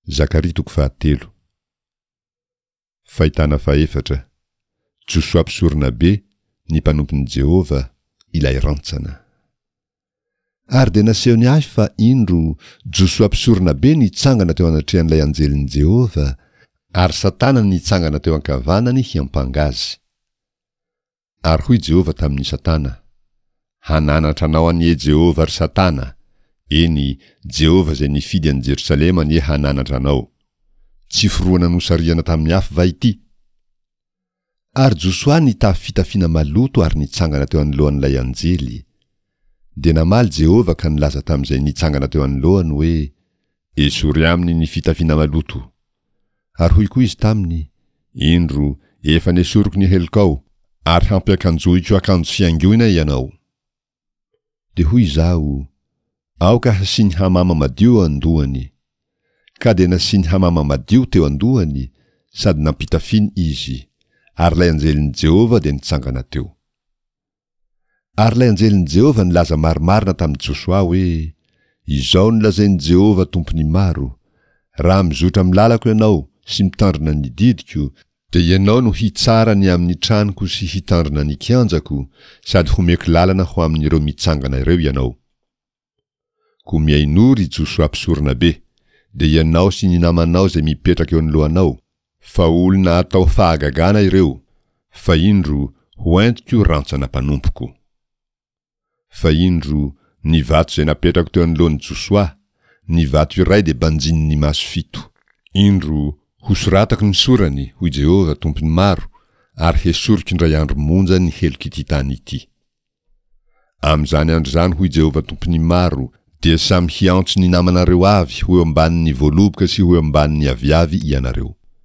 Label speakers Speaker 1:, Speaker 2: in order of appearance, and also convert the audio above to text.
Speaker 1: Zakaria toko fahatelo. Fahitana fahefatra, Josoa mpisoronabe, ny mpanompon'i Jehovah, ilay rantsana. Ary dia nasehony ahy fa, indro, Josoa mpisoronabe nitsangana teo anatrehan'ilay anjelin'i Jehovah, ary Satana nitsangana teo ankavanany hiampanga azy. Ary hoy Jehovah tamin'i Satana, Hananatra anao anie Jehovah, ry Satana! Eny, Jehovah izay nifidy an'i Jerosalema anie hananatra anao! Tsy forohana nosarihana tamin'ny afo va ity? Ary Josoa nitafy fitafiana maloto ary nitsangana teo anoloan'ilay anjely. Dia namaly Jehovah ka nilaza tamin'izay nitsangana teo anoloany hoe, Esory aminy ny fitafiana maloto. Ary hoy koa izy taminy, Indro, efa nesoriko ny helokao, ary hampiakanjohiko akanjo fihaingoina ianao. Dia hoy izaho, Aoka hasiany hamama madio eo an-dohany. Ka dia nasiany hamama madio teo an-dohany, sady nampitafiany izy, ary ilay anjelin'i Jehovah dia nitsangana teo. Ary ilay anjelin'i Jehovah nilaza marimarina tamin'i Josoa hoe, Izao no lazain'i Jehovah Tompon'ny maro, Raha mizotra amin'ny lalako ianao sy mitandrina ny didiko, dia ianao no hitsara ny amin'ny tranoko sy hitandrina ny kianjako, sady homeko lalana ho amin'ireo mitsangana ireo ianao. Koa mihainoa, ry Josoa mpisoronabe, dia ianao sy ny namanao izay mipetraka eo anoloanao, fa olona atao fahagagana ireo, fa indro, ho entiko rantsana mpanompoko. Fa indro, ny vato izay napetrako teo anoloan'i Josoa, ny vato iray dia banjinin'ny maso fito. Indro, hosoratako ny sorany, hoy Jehovah, Tompon'ny maro, ary hesoriko indray andro monja ny helok'ity tany ity. Amin'izany andro izany, hoy Jehovah Tompon'ny maro, dia samy hiantso ny namanareo avy ho eo ambanin'ny voaloboka sy ho eo ambanin'ny aviavy ianareo.